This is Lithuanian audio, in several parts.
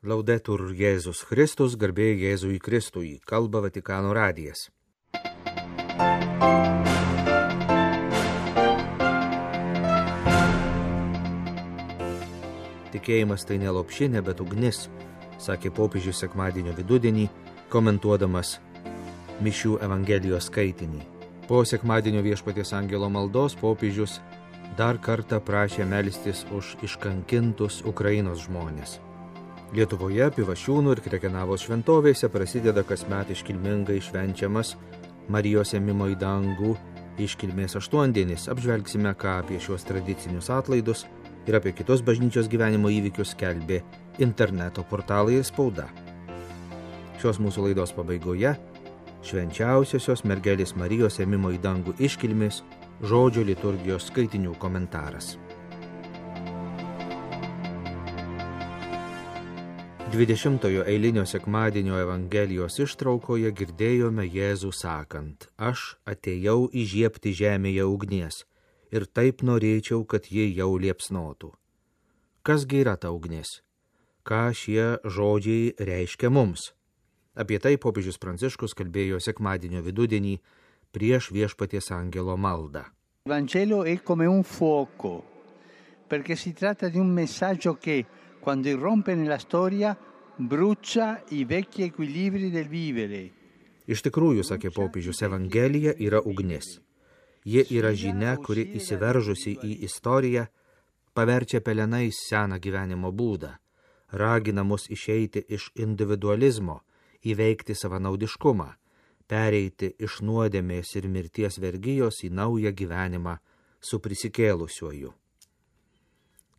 Laudetur Jėzus Kristus, garbė Jėzui Kristui, kalba Vatikano radijas. Tikėjimas tai ne lopšinė, bet ugnis, sakė popiežius sekmadienio vidudienį, komentuodamas mišių Evangelijos skaitinį. Po sekmadienio viešpaties angelo maldos popiežius dar kartą prašė melstis už iškankintus Ukrainos žmones. Lietuvoje, Pivašiūnų ir Krekenavos šventovėse prasideda kasmet iškilmingai švenčiamas Marijos ėmimo į dangų iškilmės aštuondienis. Apžvelgsime, ką apie šios tradicinius atlaidus ir apie kitus bažnyčios gyvenimo įvykius skelbė interneto portalai ir spauda. Šios mūsų laidos pabaigoje švenčiausiosios mergelės Marijos ėmimo į dangų iškilmės žodžio liturgijos skaitinių komentaras. 20-ojo eilinio sekmadienio Evangelijos ištraukoje girdėjome Jėzų sakant: Aš atėjau įžiebti žemėje ugnies ir taip norėčiau, kad ji jau liepsnotų. Kasgi yra ta ugnis? Ką šie žodžiai reiškia mums? Apie tai popiežius Pranciškus kalbėjo sekmadienio vidudienį prieš viešpaties angelo maldą. Vangelo è come un fuoco, perché si tratta di un messaggio che, quando irrompe nella storia, brucia i vecchi equilibri del vivere. Iš tikrųjų, sakė popiežius, Evangelija yra ugnis. Ji yra žinia, kuri įsiveržusi į istoriją paverčia pelenais seną gyvenimo būdą, ragina mus išeiti iš individualizmo, įveikti savanaudiškumą, pereiti iš nuodėmės ir mirties vergijos į naują gyvenimą su prisikėlusiuoju.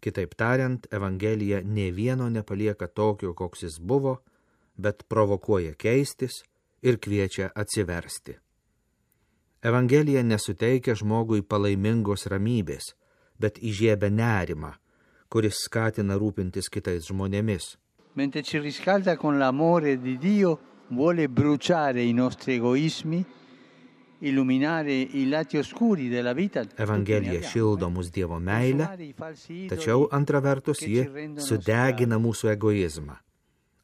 Kitaip tariant, Evangelija nė vieno nepalieka tokio, koks jis buvo, bet provokuoja keistis ir kviečia atsiversti. Evangelija nesuteikia žmogui palaimingos ramybės, bet įžiebia nerimą, kuris skatina rūpintis kitais žmonėmis. Mentre ci riscalda con l'amore di Dio, vuole bruciare i nostri egoismi, illuminare i lati oscuri della vita. Evangelija šildo mus Dievo meilę, tačiau antra vertus ji sudegina mūsų egoizmą,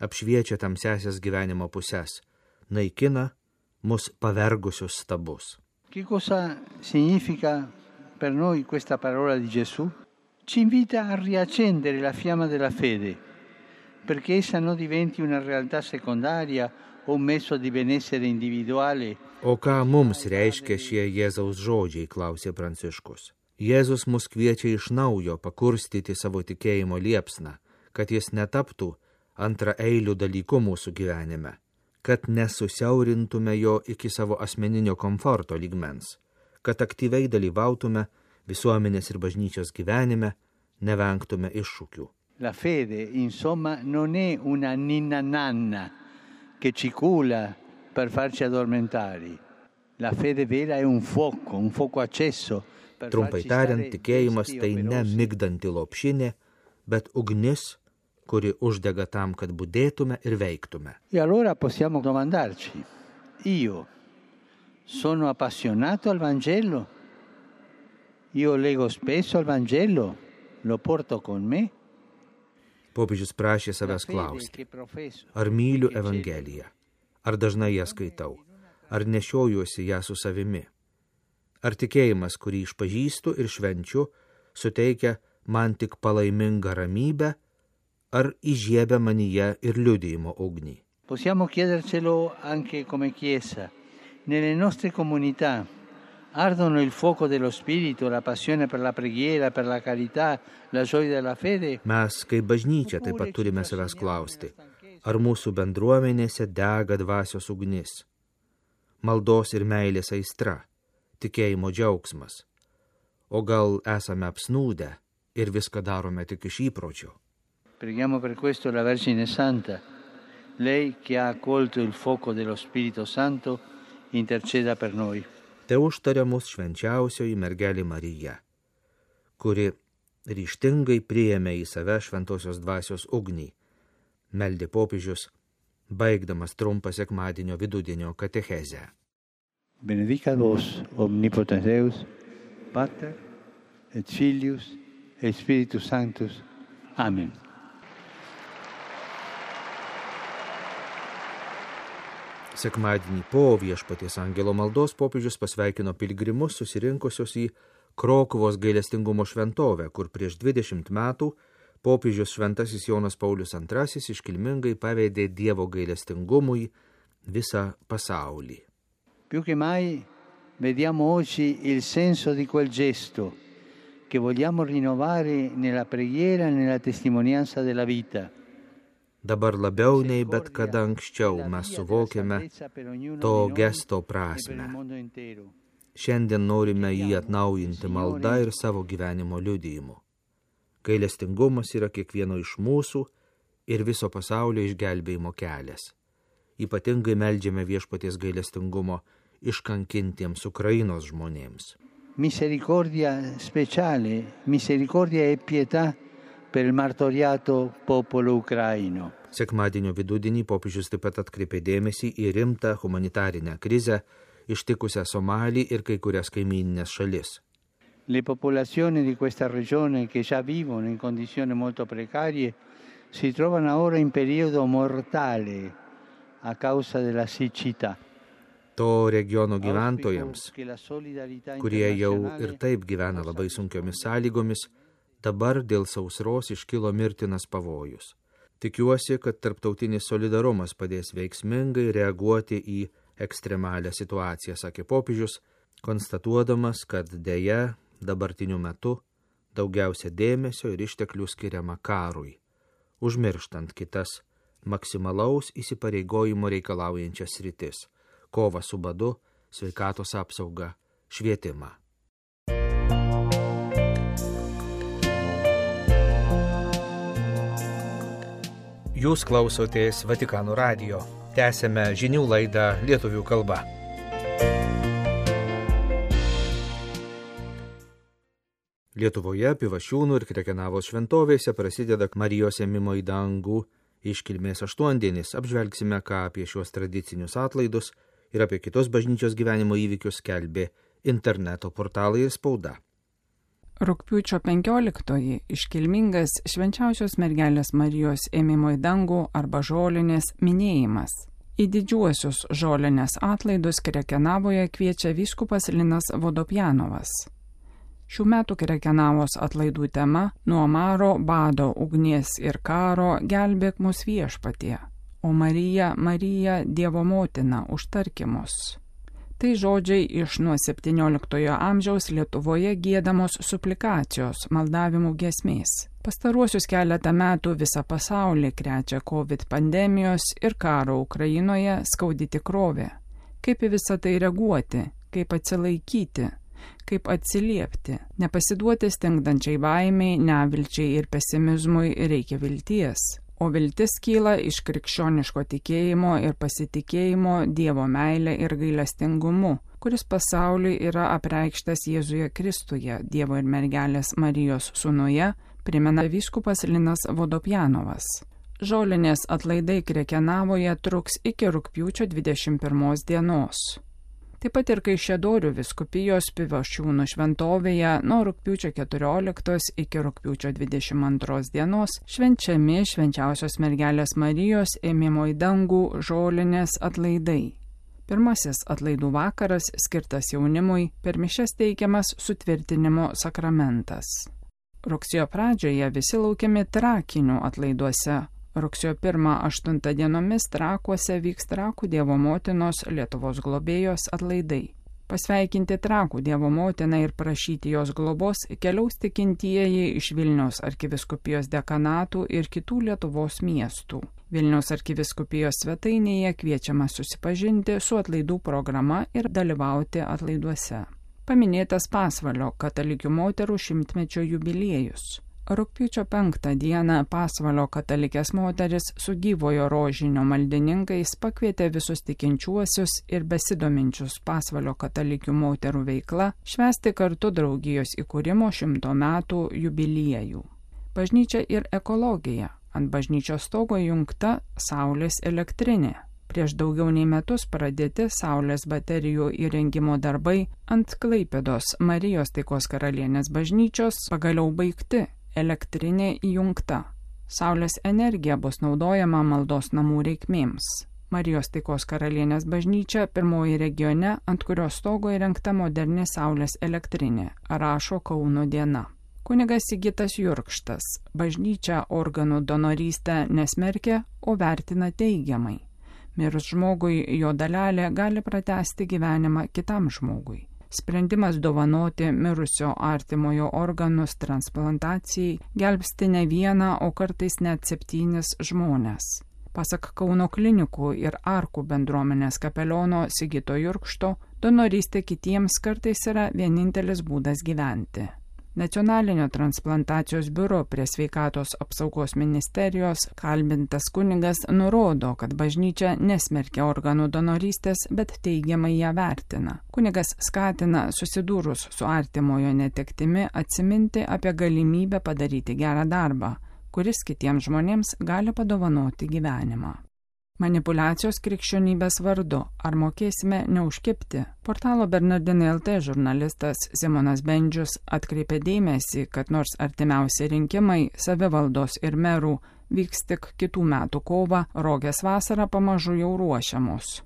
apšviečia tamsiasias gyvenimo puses, naikina mus pavergusius stabus. Che cosa significa per noi questa parola di Gesù? Ci invita a riaccendere la fiamma della fede, perché essa non diventi una realtà secondaria o un mezzo di benessere individuale. O ką mums reiškia šie Jėzaus žodžiai, klausė Pranciškus. Jėzus mus kviečia iš naujo pakurstyti savo tikėjimo liepsną, kad jis netaptų antraeilių dalykų mūsų gyvenime, kad nesusiaurintume jo iki savo asmeninio komforto lygmens, kad aktyviai dalyvautume visuomenės ir bažnyčios gyvenime, nevengtume iššūkių. La fede, insomma, non è una ninna nanna che ci culla per farci addormentare. La fede vera è un fuoco acceso. Trumpai tariant, tikėjimas tai ne migdanti lopšinė, bet ugnis, kuri uždega tam, kad budėtume ir veiktume. E allora possiamo domandarci: io sono appassionato al Vangelo? Io leggo spesso al Vangelo? Lo porto con me? Popiežius prašė savęs klausti: ar myliu Evangeliją? Ar dažnai ją skaitau? Ar nešiojuosi ją su savimi? Ar tikėjimas, kurį išpažįstu ir švenčiu, suteikia man tik palaimingą ramybę, ar įžiebia manyje ir liudijimo ugnį? Possiamo chiedercelo anche come Chiesa. Nelle nostre comunità ardono il fuoco dello spirito, la passione per la preghiera, per la carità, la gioia della fede? Mes, kaip bažnyčia, taip pat turime savęs klausti, ar mūsų bendruomenėse dega dvasios ugnis, maldos ir meilės aistra, tikėjimo džiaugsmas, o gal esame apsnūdę ir viską darome tik iš įpročio. Preghiamo per questo la Vergine Santa, lei che ha accolto il fuoco dello Spirito Santo, interceda per noi. Tai užtaria mus švenčiausioji mergelė Marija, kuri ryžtingai priėmė į save šventosios dvasios ugnį, meldė popiežius, baigdamas trumpą sekmadienio vidudienio katechezę. Benedicat vos omnipotens Deus, Pater et Filius et Spiritus Sanctus. Amen. Sekmadienį po Viešpaties angelo maldos popiežius pasveikino piligrimus susirinkusius į Krokuvos gailestingumo šventovę, kur prieš 20 metų popiežius Šventasis Jonas Paulius II iškilmingai pavedė Dievo gailestingumui visą pasaulį. Più che mai vediamo oggi il senso di quel gesto che vogliamo rinnovare nella preghiera e nella testimonianza della vita. Dabar labiau nei bet kada anksčiau mes suvokiame to gesto prasmę. Šiandien norime jį atnaujinti malda ir savo gyvenimo liudijimu. Gailestingumas yra kiekvieno iš mūsų ir viso pasaulio išgelbėjimo kelias. Ypatingai meldžiame Viešpaties gailestingumo iškankintiems Ukrainos žmonėms. Misericordia speciale, misericordia e pietà per il martoriato popolo ucraino. Sekmadienio vidudienį popiežius taip pat atkreipė dėmesį į rimtą humanitarinę krizę ištikusią Somalį ir kai kurias kaimyninės šalis. Le popolazioni di questa regione che già vivono in condizioni molto precarie si trovano ora in periodo mortale a causa della siccità. To regiono gyventojams, kurie jau ir taip gyvena labai sunkiomis sąlygomis, dabar dėl sausros iškilo mirtinas pavojus. Tikiuosi, kad tarptautinis solidarumas padės veiksmingai reaguoti į ekstremalią situaciją, sakė popiežius, konstatuodamas, kad deja dabartiniu metu daugiausia dėmesio ir išteklių skiriama karui, užmirštant kitas maksimalaus įsipareigojimo reikalaujančias sritis – kovą su badu, sveikatos apsaugą, švietimą. Jūs klausotės Vatikano radijo. Tęsėme žinių laidą lietuvių kalba. Lietuvoje, Pivašiūnų ir Krekenavos šventovėse prasideda Marijos ėmimo į dangų iškilmės aštuondienis. Apžvelgsime, ką apie šios tradicinius atlaidus ir apie kitus bažnyčios gyvenimo įvykius skelbė interneto portalai ir spauda. Rugpjūčio 15-oji iškilmingas Švenčiausios mergelės Marijos ėmimo į dangų arba žolinės minėjimas. Į didžiuosius žolinės atlaidus Krekenavoje kviečia vyskupas Linas Vodopjanovas. Šių metų Krekenavos atlaidų tema – nuo maro, bado, ugnies ir karo gelbėk mus Viešpatie, o Marija, Marija, Dievo motina, užtarki mus. Tai žodžiai iš nuo 17 amžiaus Lietuvoje giedamos suplikacijos, maldavimų giesmės. Pastaruosius keletą metų visą pasaulį krečia COVID pandemijos ir karo Ukrainoje skaudi tikrovė. Kaip į visą tai reaguoti, kaip atsilaikyti, kaip atsiliepti, nepasiduoti stingdančiai baimiai, nevilčiai ir pesimizmui reikia vilties. O viltis kyla iš krikščioniško tikėjimo ir pasitikėjimo Dievo meilė ir gailestingumu, kuris pasauliui yra apreikštas Jėzuje Kristuje, Dievo ir mergelės Marijos sūnuje, primena vyskupas Linas Vodopjanovas. Žolinės atlaidai Krekenavoje truks iki rugpjūčio 21 dienos. Taip pat ir Kaišiadorių vyskupijos Pivašiūnų šventovėje nuo rugpjūčio 14 iki rugpjūčio 22 dienos švenčiami Švenčiausios mergelės Marijos ėmimo į dangų žolinės atlaidai. Pirmasis atlaidų vakaras skirtas jaunimui, per mišias teikiamas sutvirtinimo sakramentas. Rugsėjo pradžioje visi laukiami Trakinių atlaiduose. Rugsėjo 1-8 dienomis Trakuose vyks Trakų Dievo motinos Lietuvos globėjos atlaidai. Pasveikinti Trakų Dievo motiną ir prašyti jos globos keliaus tikintieji iš Vilniaus arkivyskupijos dekanatų ir kitų Lietuvos miestų. Vilniaus arkivyskupijos svetainėje kviečiama susipažinti su atlaidų programa ir dalyvauti atlaiduose. Paminėtas Pasvalio katalikių moterų 100-mečio jubiliejus. Rugpjūčio 5 dieną Pasvalio katalikės moteris su gyvojo rožinio maldininkais pakvietė visus tikinčiuosius ir besidominčius Pasvalio katalikių moterų veikla švęsti kartu draugijos įkūrimo 100 metų jubiliejų. Bažnyčia ir ekologija. Ant bažnyčios stogo įjungta saulės elektrinė. Prieš daugiau nei metus pradėti saulės baterijų įrengimo darbai ant Klaipėdos Marijos Taikos karalienės bažnyčios pagaliau baigti. Elektrinė įjungta. Saulės energija bus naudojama maldos namų reikmėms. Marijos taikos karalienės bažnyčia pirmoji regione, ant kurios stogo įrengta moderni saulės elektrinė, rašo Kauno diena. Kunigas Sigitas Jurkštas bažnyčia organų donorystę nesmerkia, o vertina teigiamai. Mirus žmogui jo dalelė gali pratęsti gyvenimą kitam žmogui. Sprendimas dovanoti mirusio artimojo organus transplantacijai gelbsti ne vieną, o kartais net 7 žmones. Pasak Kauno klinikų ir Arkų bendruomenės kapeliono Sigito Jurkšto, donorystė kitiems kartais yra vienintelis būdas gyventi. Nacionalinio transplantacijos biuro prie Sveikatos apsaugos ministerijos kalbintas kunigas nurodo, kad bažnyčia nesmerkia organų donorystės, bet teigiamai ją vertina. Kunigas skatina susidūrus su artimojo netektimi atsiminti apie galimybę padaryti gerą darbą, kuris kitiems žmonėms gali padovanoti gyvenimą. Manipuliacijos krikščionybės vardu. Ar mokėsime neužkibti? Portalo Bernardinai LT žurnalistas Simonas Bendžius atkreipė dėmesį, kad nors artimiausi rinkimai savivaldos ir merų vyks tik kitų metų kovą, Rogės vasarą pamažu jau ruošiamos.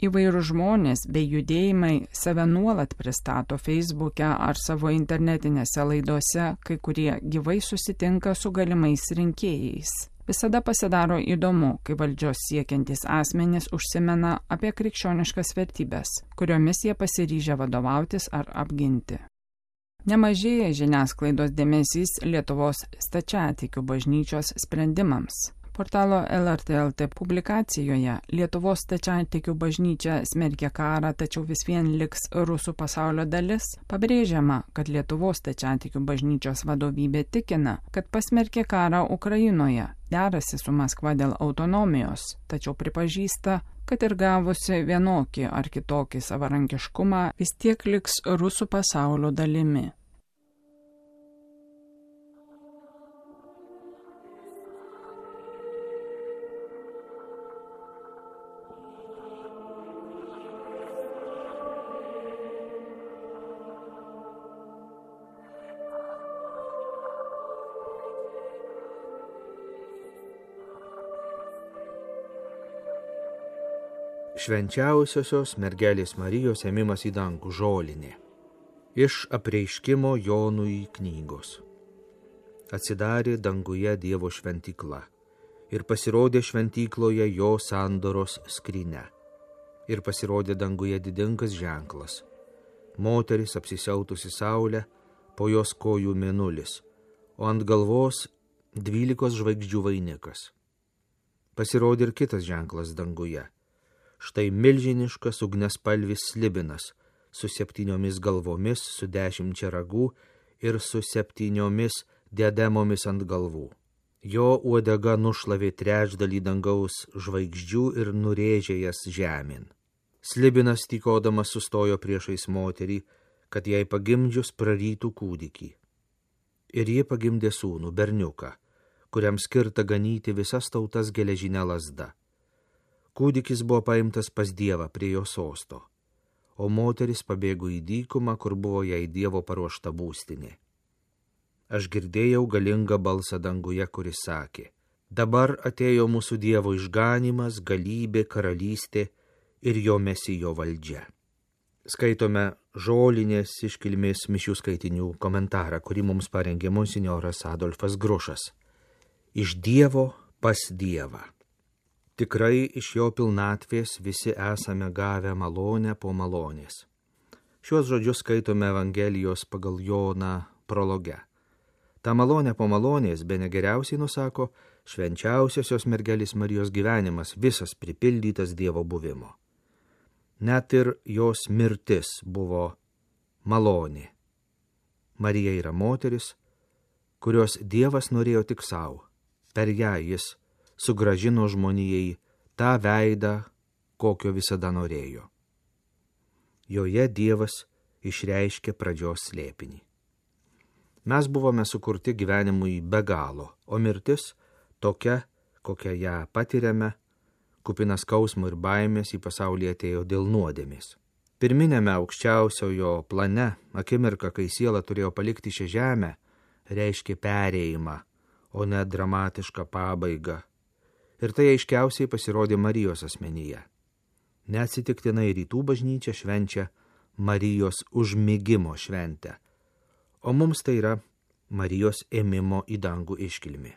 Įvairūs žmonės bei judėjimai save nuolat pristato Facebook'e ar savo internetinėse laidose, kai kurie gyvai susitinka su galimais rinkėjais. Visada pasidaro įdomu, kai valdžios siekiantys asmenys užsimena apie krikščioniškas vertybės, kuriomis jie pasiryžę vadovautis ar apginti. Nemažėja žiniasklaidos dėmesys Lietuvos stačiatikių bažnyčios sprendimams. Portalo LRT LT publikacijoje Lietuvos stačiatikių bažnyčia smerkia karą, tačiau vis vien liks rusų pasaulio dalis, pabrėžiama, kad Lietuvos stačiatikių bažnyčios vadovybė tikina, kad pasmerkė karą Ukrainoje, derasi su Maskva dėl autonomijos, tačiau pripažįsta, kad ir gavusi vienokį ar kitokį savarankiškumą vis tiek liks rusų pasaulio dalimi. Švenčiausiosios mergelės Marijos ėmimas į dangų žolinė. Iš apreiškimo Jonui knygos. Atsidarė danguje Dievo šventykla ir pasirodė šventykloje jo sandoros skrynia. Ir pasirodė danguje didingas ženklas. Moteris apsisiautusi saulę, po jos kojų mėnulis, o ant galvos 12 žvaigždžių vainikas. Pasirodė ir kitas ženklas danguje. Štai milžiniškas ugniaspalvis slibinas, su 7 galvomis, su 10 ragų ir su 7 diademomis ant galvų. Jo uodega nušlavė trečdalį dangaus žvaigždžių ir nurėžė jas žemėn. Slibinas tykodamas sustojo priešais moterį, kad jai pagimdžius prarytų kūdikį. Ir ji pagimdė sūnų, berniuką, kuriam skirta ganyti visas tautas geležinę lazdą. Kūdikis buvo paimtas pas Dievą prie jo sosto, o moteris pabėgo į dykumą, kur buvo jai Dievo paruošta būstinė. Aš girdėjau galingą balsą danguje, kuris sakė: dabar atėjo mūsų Dievo išganymas, galybė, karalystė ir jo mesijo valdžia. Skaitome žolinės iškilmės mišių skaitinių komentarą, kurį mums parengė monsinjoras Adolfas Grušas. Iš Dievo pas Dievą. Tikrai iš jo pilnatvės visi esame gavę malonę po malonės. Šiuos žodžius skaitome Evangelijos pagal Joną prologe. Ta malonė po malonės bene geriausiai nusako švenčiausiosios mergelės Marijos gyvenimas, visas pripildytas Dievo buvimo. Net ir jos mirtis buvo malonė. Marija yra moteris, kurios Dievas norėjo tik savo. Per ją jis sugražino žmonijai tą veidą, kokio visada norėjo. Joje Dievas išreiškė pradžios slėpinį. Mes buvome sukurti gyvenimui be galo, o mirtis tokia, kokią ją patiriame, kupinas skausmo ir baimės į pasaulį atėjo dėl nuodėmės. Pirminėme aukščiausiojo plane, akimirka, kai siela turėjo palikti šią žemę, reiškė perėjimą, o ne dramatišką pabaigą. Ir tai aiškiausiai pasirodė Marijos asmenyje. Neatsitiktinai rytų bažnyčia švenčia Marijos užmigimo šventę, o mums tai yra Marijos ėmimo į dangų iškilmė.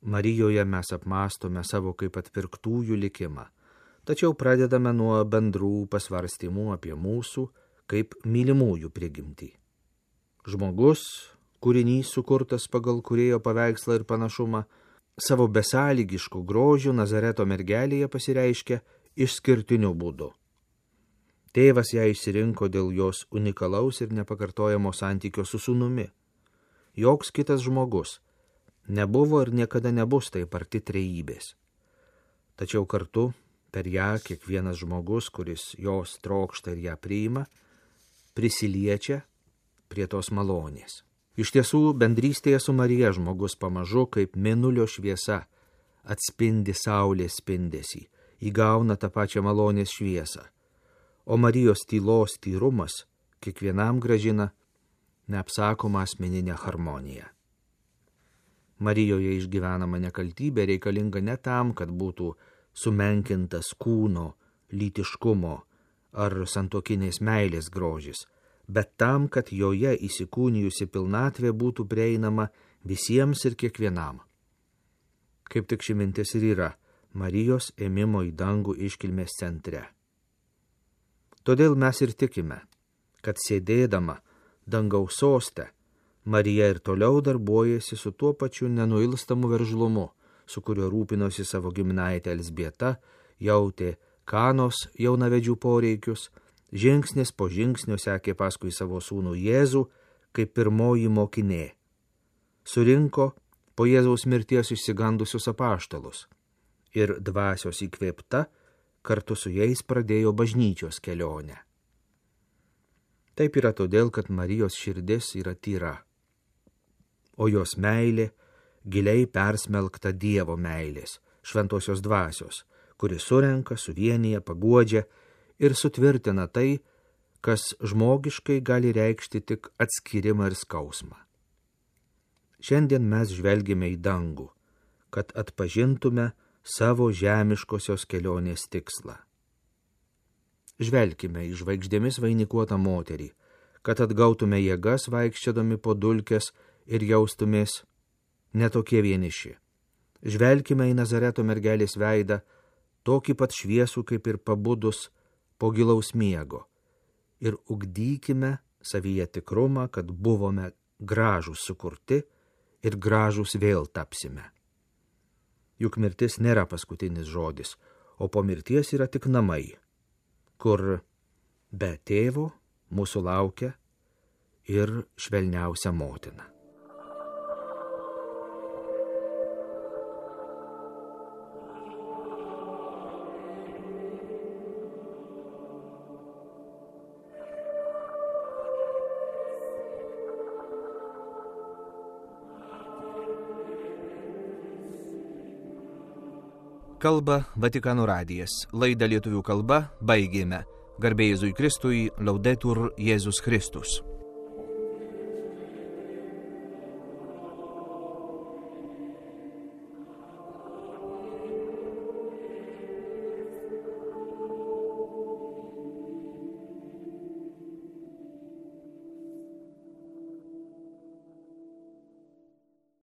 Marijoje mes apmąstome savo kaip atpirktųjų likimą, tačiau pradedame nuo bendrų pasvarstymų apie mūsų kaip mylimųjų prigimtį. Žmogus, kūrinys sukurtas pagal kūrėjo paveikslą ir panašumą, savo besąlygiškų grožių Nazareto mergelėje pasireiškia išskirtiniu būdu. Tėvas ją išsirinko dėl jos unikalaus ir nepakartojamo santykio su sūnumi. Joks kitas žmogus nebuvo ir niekada nebus taip arti trejybės. Tačiau kartu per ją kiekvienas žmogus, kuris jos trokšta ir ją priima, prisiliečia prie tos malonės. Iš tiesų, bendrystėje su Marija žmogus pamažu kaip mėnulio šviesa atspindi saulės spindesį, įgauna tą pačią malonės šviesą, o Marijos tylos tyrumas kiekvienam grąžina neapsakomą asmeninę harmoniją. Marijoje išgyvenama nekaltybė reikalinga ne tam, kad būtų sumenkintas kūno, lytiškumo ar santuokinės meilės grožis, bet tam, kad joje įsikūnijusi pilnatvė būtų prieinama visiems ir kiekvienam. Kaip tik ši mintis ir yra Marijos ėmimo į dangų iškilmės centre. Todėl mes ir tikime, kad sėdėdama dangaus soste, Marija ir toliau darbuojasi su tuo pačiu nenuilstamu veržlumu, su kuriuo rūpinosi savo giminaitė Elzbieta, jautė Kanos jaunavedžių poreikius, žingsnis po žingsnio sekė paskui savo sūnų Jėzų kaip pirmoji mokinė. Surinko po Jėzaus mirties išsigandusius apaštalus ir dvasios įkvėpta kartu su jais pradėjo bažnyčios kelionę. Taip yra todėl, kad Marijos širdis yra tyra, o jos meilė giliai persmelkta Dievo meilės, šventosios dvasios, kuri surenka, suvienyje, paguodžia ir sutvirtina tai, kas žmogiškai gali reikšti tik atskyrimą ir skausmą. Šiandien mes žvelgime į dangų, kad atpažintume savo žemiškosios kelionės tikslą. Žvelkime į žvaigždėmis vainikuotą moterį, kad atgautume jėgas vaikščiodami po dulkes ir jaustumės netokie vieniši. Žvelkime į Nazareto mergelės veidą, tokį pat šviesų kaip ir pabudus po gilaus miego, ir ugdykime savyje tikrumą, kad buvome gražūs sukurti ir gražūs vėl tapsime. Juk mirtis nėra paskutinis žodis, o po mirties yra tik namai, kur be tėvo mūsų laukia ir švelniausia motina. Kalba Vatikano radijas. Laidą lietuvių kalba baigėme. Garbė Jėzui Kristui, Laudetur Jėzus Kristus.